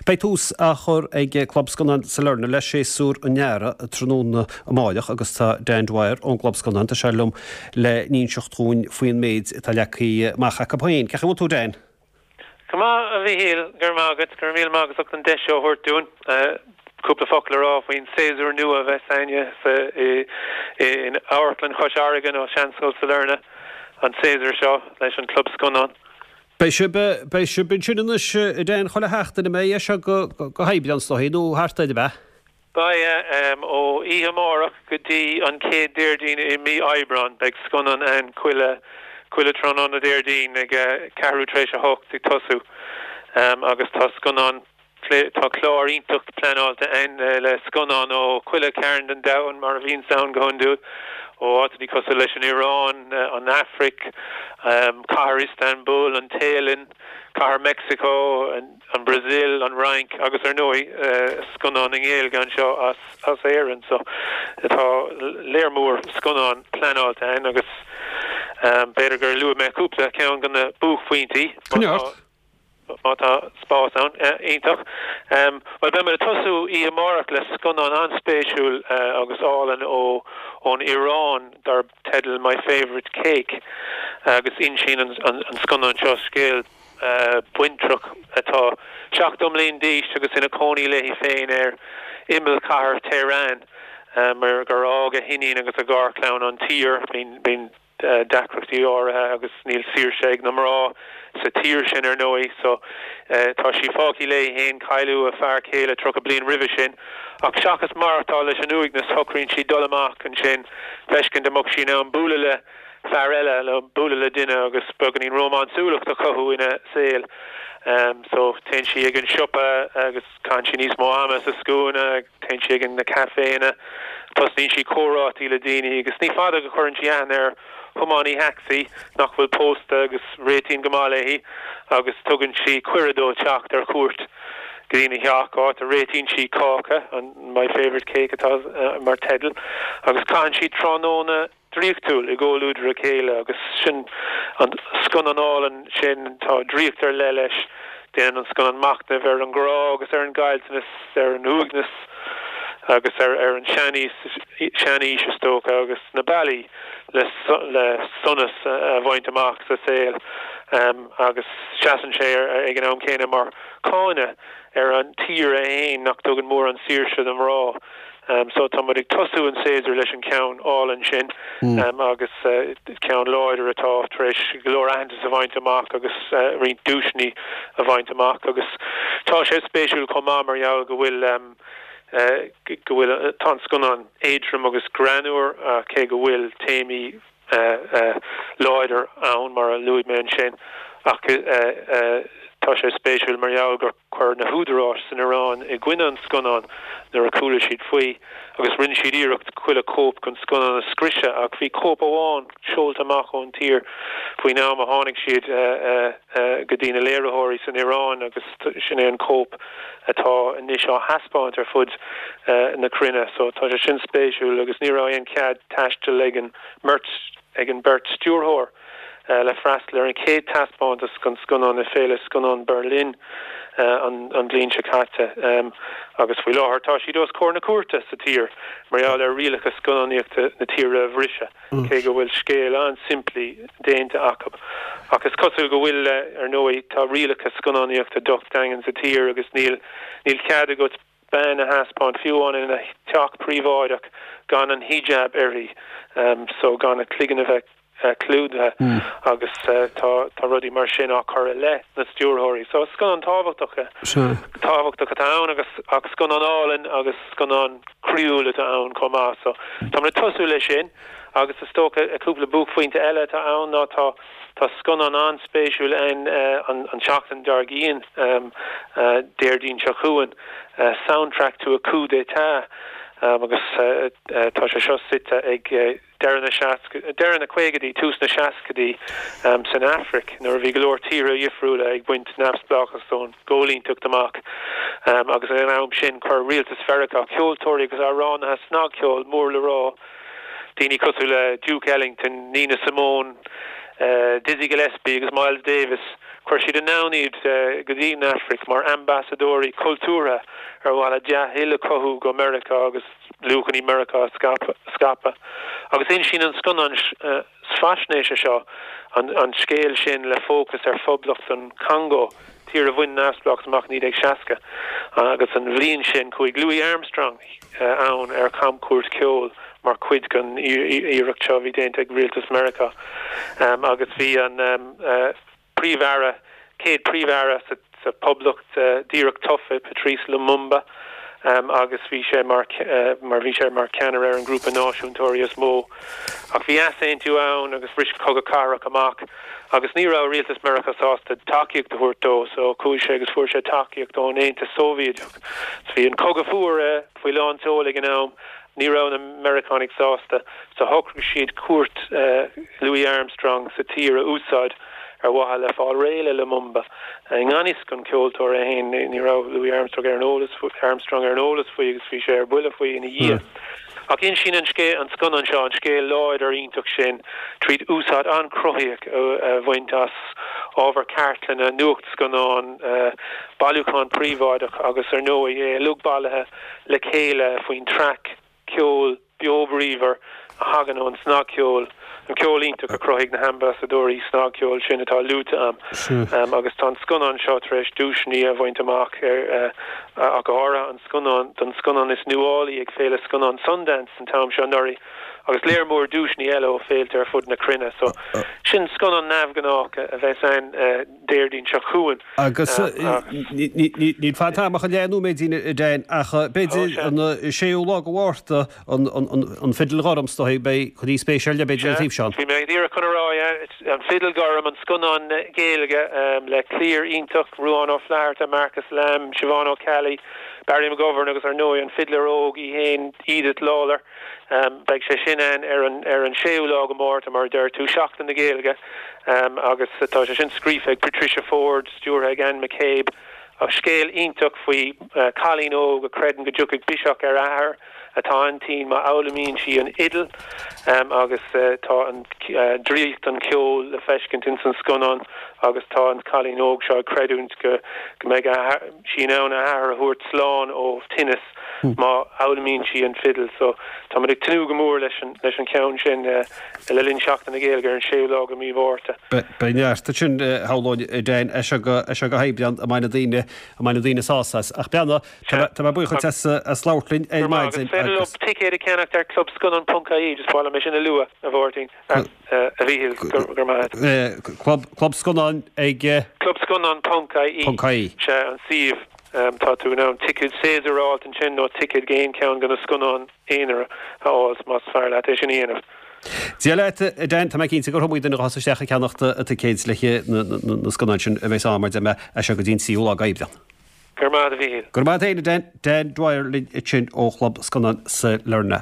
Beidh tús á chur ag Club Scannán Sailearna le séasúr an earraigh tráthnóna amáireach agus tá Dan Dwyer ón gClub Scannán, tá sé liom le n-inseacht dhúinn faoin méid atá leagtha amach acu féin. Cén chaoi a bhfuil tú Dan? Go maith, a Mhíchíl, go raibh maith agat. Go raibh míle maith agat as ucht an deis seo a thabhairt dúinn cúpla focal a rá faoin séasúr nua a bheas a'inne sa in Amharclann Chois Fharraige nó Seanscoil Sailearna an séasúr seo leis an Club Scannán. Beidh sibh, beidh sibh ansin anois, a Dan, chuile sheachtain, an mbeidh, as seo go, go hAibreán is dóigh, nó thart air, ab ea? Beidh, ó oíche amárach go dtí an chéad Déardaoin i mí Aibreán, beidh scannán ann chuile, chuile tráthnóna Déardaoin ag ceathrú tar éis a hocht ag tosú agus tá scannán Tá clár iontach pleanáilte a'inn le scannáin ó chuile chearn den domhan, mar a bhíonns ann go hiondúil, ó áiteanna cosúil leis an Iaráin, an Afraic, cathair Istanbul, an Téalainn, cathair Meicsiceo, an Bhrasaíl, an Fhrainc agus ar ndóigh scannán i nGaeilge anseo as Éirinn. So tá léar mór scannán pleanáilte a'inn agus b'fhéidir gur luaigh mé cúpla ceann de na buaicphointí. Coinnigh ort. Má tá spás ann. Iontach. Bhuel, beidh muid ag tosú oíche amárach le scannán an-spéisiúil agus álainn ó ón Iaráin darb teideal My Favourite Cake agus insíonn an scannán seo scéal baintreach atá 70 mbliain d'aois agus ina cónaí léi féin ar imeall chathair Tehran mar gur fhág a hiníon agus a garchlann an tír. Bíonn deacrachtaí áirithe agus níl saoirse ag na mná sa tír sin ar ndóigh so tá sí fágtha léi fhéin, cailleadh a fear céile 30 bliain roimhe sin ach seachas maireachtáil leis an uaigneas shocraíonn sí dul amach ansin feiscint an mbeadh sí in ann bualadh le fear eile nó bualadh le duine agus beagáinín rómánsúlacht a chothú ina saol so téann sí ag an siopa agus caitheann sí níos mó ama sa scuaine. Téann sí ag na caiféanna, tosnaíonn sí comhráití le daoine agus ní fada go chuireann sí aithne ar thiománaí tacsaí nach bhfuil pósta agus réitíonn go maith léi agus tugann sí cuireadh dó teacht ar cuairt go dtína theach, áit a réitíonn sí cáca, an My Favourite Cake atá mar teideal, agus caitheann siad tráthnóna draíochtúil i gcomhluadar a chéile agus sin an scannán álainn sin, tá draíocht ar leith leis, déanann an scannán machnamh ar an ngrá agus ar an gcaillteanas, ar an uaigneas agus ar ar an seanaois, seanaois is dócha agus na bealaí le le sonas a bhaint amach sa saol agus seasann sé ag an am céanna mar cáineadh ar an tír é fhéin nach dtugann mórán saoirse do mhná. So tá muid ag tosú an séasúr leis an ceann álainn sin agus ceann láidir atá tar éis go leor aitheantas a bhaint amach agus roinnt duaiseanna a bhaint amach agus tá sé spéisiúil chomh maith mar gheall go bhfuil go bhfuil tá an scannán éadrom agus greannmhar cé go bhfuil téamaí láidir ann mar a luaigh mé ansin ach tá sé spéisiúil mar gheall gur Chuir na húdaráis san Iaráin i gcoinne an scannáin nuair a chuala siad faoi agus rinne siad iarracht chuile chóip den scannán a scriosadh ach bhí cóip amháin seolta amach ón tír faoin am a tháinig siad go dtí na léiritheoirí san Iaráin agus sin é an chóip atá anois á thaispeáint ar fud na cruinne. So tá sé sin spéisiúil agus ní raibh aon chead taistil ag an mbeirt ag an mbeirt stiúrthóir. le freastal ar an chéad taispeántas den scannán i Féile Scannán Berlin an bhliain seo caite agus faoi láthair tá siad os comhair na cúirte sa tír mar gheall ar rialacha scannánaíochta na tíre a bhriseadh, cé go bhfuil scéal an-simplí déanta acu. Ach is cosúil go bhfuil, ar ndóigh, tá rialacha scannánaíochta docht daingean sa tír agus níl cead agat bean a thaispeáint, fiú amháin ina teach príobháideach, gan an hijab uirthi, so gan a cloigeann a bheith clúdaithe agus tá rudaí mar sin á cur i leith na stiúrthóirí. So scannán tábhachtach tábhachtach atá ann agus ach scannán álainn agus scannán croíúil atá ann chomh maith. So táimid ag tosú leis sin agus is dócha cúpla buaicphointe eile atá ann ná tá Tá scannán an-spéisiúil ann an tseachtain dár gcionn, Déardaoin seo chugainn, Soundtrack to a Coup d'État, agus tá sé seo suite ag deireadh na deireadh na caogaidí, tús na seascaidí san Afraic nuair a bhí go leor tíortha dhifriúla ag baint neamhspleáchas ón gcoilíneacht amach agus ag an am sin chuir rialtas Mheiriceá ceoltóirí agus amhránaithe snagcheoil mór le rá Daoine cosúil le Duke Ellington, Nina Simone, Dizzy Gillespie agus Miles Davis. Chuir siad anonn iad go dtí an Afraic mar ambasadóirí cultúrtha ar mhaith le dea-thoil a chothú go Meiriceá agus luachanna Meiriceá a scaipeadh. Agus insíonn an scannán faisnéise seo an scéal sin le fócas ar Phoblacht an Chongó, tír a bhain neamhspleáchas amach i 1960 agus an bhliain sin chuaigh Louis Armstrong ann ar chamchuairt cheoil mar chuid den iarracht seo a bhí déanta ag rialtas Meiriceá agus bhí an Príomh-Aire, chéad Príomh-Aire sa Phoblacht díreach tofa, Patrice Lumumba, agus bhí sé mar mar bhí sé mar cheannaire ar an ghrúpa náisiúntóirí is mó. Ach bhí easaontú ann agus bhris cogadh cathartha amach agus ní raibh rialtas Meiriceá sásta tacaíocht a thabhairt dó so chuaigh sé agus fuair sé tacaíocht ón Aontas Sóivéadach. So bhí an cogadh fuar faoi lán tseoil ag an am. Ní raibh na Meiriceánaigh sásta, so shocraigh siad cuairt Louis Armstrong sa tír a úsáid ar mhaithe le fáil réidh le Lumumba. I ngan fhios don cheoltóir é féin, ní raibh Louis Armstrong ar an eolas Armstrong ar an eolas faoi agus bhí sé ar buile faoi ina dhiaidh. Ach insíonn an scéal an scannán seo an scéal láidir iontach sin tríd úsáid an-chruthaíoch a bhaint as ábhar cartlainne, nuachtscannán, bailiúchán príobháideach agus ar ndóigh é uilig bailithe le chéile faoin traic ceoil beo bríomhar a thagann ón snagcheol, an ceol iontach a chruthaigh na hambasadóirí snagcheoil sin atá luaite a'm. Agus tá an scannán seo tar éis duaiseanna a bhaint amach, ach go háirithe an scannán don scannán is nuálaí ag Féile Scannán Sundance an t-am seo anuraidh, agus léar mór duaiseanna eile ó féilte ar fud na cruinne. So, sin scannán neamhghnách a bheas ann. Déardaoin seo chugainn. Agus níl fad a'm ach an leath nóiméidín a Dan ach b'fhéidir an séú lá de Mhárta an Fidil Ghorm is dóigh beidh chuid spéis ar leith b'fhéidir an taobh seo. Bhí mé díreach chun a rá an Fidil Ghorm an scannán Gaeilge le cliar iontach Ruadhán Ó Flatharta, Marcus Lamb, Siobhán Ó Ceallaigh, Barry McGovern agus ar ndóigh an fidléir óg í féin Edith Lawlor. Beidh sé sin ann ar an ar an séú lá de Mhárta, mar a deir tú, Seachtain na Gaeilge, agus tá sé sin scríofa ag Patricia Forde, stiúrtha ag Anne McCabe. Scéal iontach faoi chailín óg a chreideann go dtiocfaidh biseach ar a athair atá an-tinn má fhoghlaimíonn sí an fhidil agus tá an draíocht an cheoil le feiscint ins an scannán agus tá an cailín óg seo ag creidiúint go go mbeidh sí in ann a athair a thabhairt slán ó thinneas. má fhoghlaimíonn sí an fidil. So, táimid ag tnúth go mór leis an leis an cheann sin le linn Seachtain na Gaeilge ar an séú lá de mhí Mhárta. Beidh neart ansin, shamhlóinn, a Dan, as seo go as seo go hAibreán a mbeidh na daoine a mbeidh na daoine sásta as. Ach beanna, tá mé buíoch duit as as labhairt linn ar maidin agus. Is féidir leo ticéid a cheannacht ar clubscannán.ie, just ba mhaith liom é sin a lua, a Mháirtín. A Mhíchíl, go raibh maith agat. Club Club Scannán ag. Clubscannán.ie. .ie. Sea, an suíomh. Tá tú in ann ticéad séasúir a fháilt ansin nó ticéad d'aon cheann de na scannáin aonair a fháilt más fearr leat é sin a dhéanamh. Dia leat, a Dan, tá mé cinnte gur iomaí duine a ghabhfas isteach ag ceannacht a ticéid le na scannáin sin a bheas ann mar deir mé as seo go dtí an tríú lá d'Aibreán. Go raibh maith agat, a Mhíchíl. Go raibh maith agat féin, a Dan. Dan Dwyer linn ansin ó Chlub Scannán Sailearna.